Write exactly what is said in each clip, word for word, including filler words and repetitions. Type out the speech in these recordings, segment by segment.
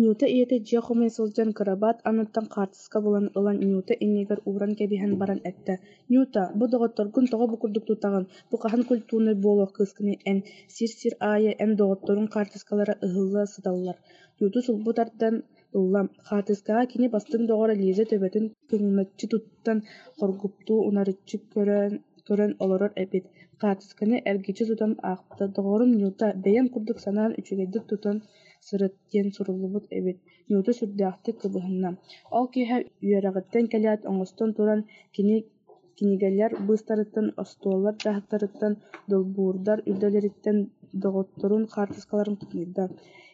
Нюта ийэтэ дьиэ хомуйа сылдьан кырабаат анныттан хаартыска булан ылан Нюта иннигэр ууран кэбиһэн баран эттэ: «Нюта, бу доҕотторгун тоҕо бу курдук тутаҕын, бу хаһан культурнай буолуох кыыскыный эн, сир-сир аайы эн доҕотторуҥ хаартыскалара ыһылла сыталлар» Нюта сулбу тардан ылла, хаартыскаҕа кини бастыҥ доҕоро Лиза төбөтүн кыҥначчы туттан хоргуппуттуу унаарыччы көрөн, көрөн олорор эбит. Хаартысканы эргиччи тутан аахпыта: «Доҕорум Нюта, бэйэм курдук санаан үчүгэйдик тутан сырыт» диэн суруллубут эбит. Нюта сүрдээхтик кыбыһынна. Ол киэһэ үөрэҕиттэн кэлээт оҥостон туран кини кинигэлэр быыстарыттан, остуоллар дьааһыктарыттан, долбуурдар үрдүлэриттэн доҕотторун хаартыскаларын хомуйда.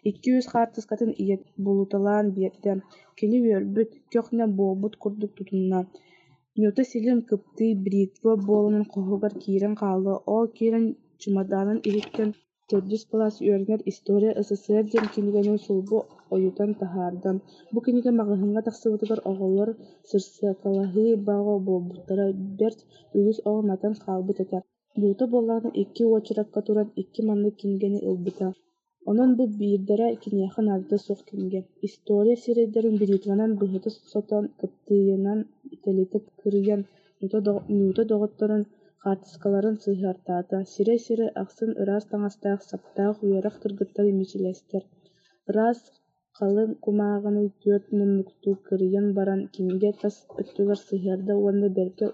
Икки-үс хаартыскатын ийэтэ булуталаан биэрдэ. Кини үөрбүт, көх-нэм буолбут курдук тутунна. Нюта силим, кыптыый, бритва буолан хоһугар киирэн хаалла. Ол киирэн чымадаанын иһиттэн төрдүс кылаас үөрэнэр «История СССР» диэн кинигэни сулбу ойутан таһаарда. Бу кинигэ маҕаһыыҥҥа тахсыбытыгар оҕолор сырсыакалаһыы бөҕө буолбуттара, бэрт үгүс оҕо матан хаалбыт этэ. Нюта буоллаҕына икки уочаракка туран икки маннык кинигэни ылбыта. Онон бу биирдэрэ киниэхэ наадата суох кинигэ. История сирэйдэрин бритванан быһыта сотон, кыптыыйынан тэлитэ кырыйан Нюта доҕотторун хаартыскаларын сыһыартаата, сирэй-сирэй ахсын ыраас таҥастаах, саптаах үөрэх кыргыттара мичилистэр. Ыраас халыҥ кумааҕыны түөрт муннуктуу кырыйан баран кинигэ тас өттүгэр сыһыарда уонна бэркэ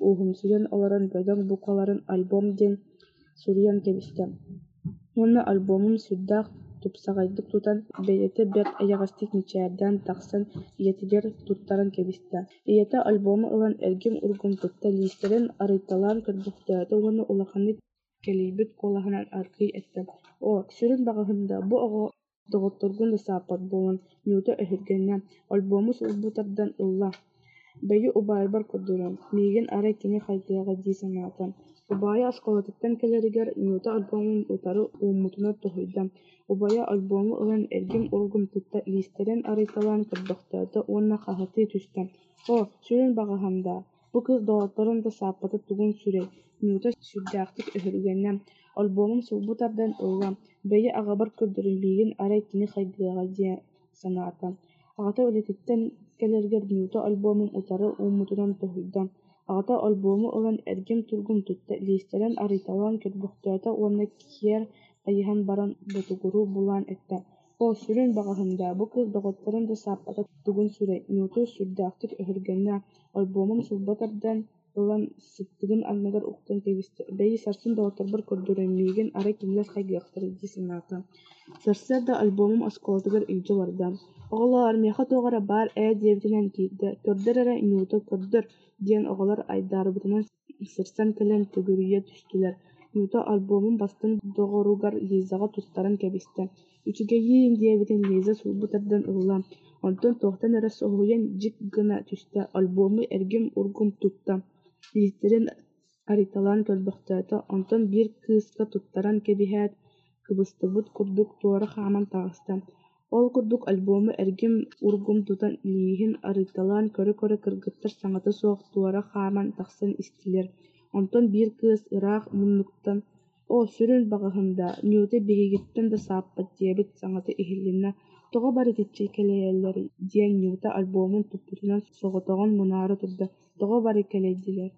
улуумсуйан олорон бөдөҥ буукубаларынан «Альбом» диэн суруйан кэбистэ. Уонна альбомун сүрдээх тупсаҕайдык тутан, бэйэтэ бэрт эйэҕэстик мичээрдээн тахсан ийэтигэр туттаран кэбистэ. Ийэтэ альбому ылан эргим-ургум тутта, лиистэрин арыйталаан көрбөхтөөтө уонна улаханнык кэлэйбит куолаһынан аргыый эттэ: «Оо, сүрүн баҕаһын да, бу оҕо доҕотторгун да сааппат буолан» Нюта өһүргэннэ, альбому сулбу тардан ылла, «Бэйи убайбар көрдөрүөм, миигин арай кини хайгыаҕа» дии санаата. Убайа оскуолатыттан кэлэригэр Нюта альбомун утары ууммутунан тоһуйда. Убайа альбому ылан эргим-ургум тутта, лиистэрин арыйталаан көрбөхтөөтө уонна хаһытыы түстэ: «Оо, сүрүн баҕаһын даа, бу кыыс доҕотторун да сааппата тугун сүрэй» Нюта сүрдээхтик өһүргэннэ, альбомун сулбу тардан ылла, «Бэйи аҕабар көрдөрүөм, миигин арай кини хайгыаҕа» дии санаата. Аҕата үлэтиттэн кэлэригэр Нюта альбомун утары ууммутунан тоһуйда. Аҕата альбому ылан эргим-тургум тутта, лиистэрин арыйталаан көрбөхтөөтө уонна киэр хайыһан баран ботугуруу булан эттэ: «Оо, сүрүн баҕаһын даа, бу кыыс доҕотторун да сааппата тугун сүрэй» Нюта сүрдээхтик өһүргэннэ, альбомун сулбу тардан ылан сыттыгын анныгар уктан кэбистэ, «Бэйи сарсын доҕотторбор көрдөрүөм, миигин арай кинилэр хайгыахтара» дии санаата. Сарсыарда альбомун оскуолатыгар илдьэ барда. «Оҕолоор, миэхэ туох эрэ баар ээ» диэбитинэн киирдэ. «Көрдөр эрэ, Нюта, көрдөр» диэн оҕолор айдаарбытынан сырсан кэлэн төгүрүйэ түстүлэр. Нюта альбомун бастыҥ доҕоругар Лизаҕа туттаран кэбистэ. «Үчүгэйиин» диэбитин Лиза сулбу тардан ылла, онтон туохтан эрэ соһуйан дьик гына түстэ, альбому эргим-ургум тутта, лиистэрин арыйталаан көрбөхтөөтө, онтон биир кыыска туттаран кэбиһээт, кыбыстыбыт курдук туора хааман таҕыста. Ол курдук альбому эргим-ургум тутан лииһин арыйталаан көрө-көрө кыргыттар саҥата суох туора хааман тахсан истилэр. Онтон биир кыыс ыраах муннуктан «Оо, сүрүн баҕаһын даа, Нюта биһигиттэн да сааппат» диэбит саҥата иһилиннэ. «Тоҕо бары итиччэ кэлэйэллэрий?» диэн Нюта альбомун туппутунан соҕотоҕун мунаара турда. «Тоҕо бары кэлэйдилэр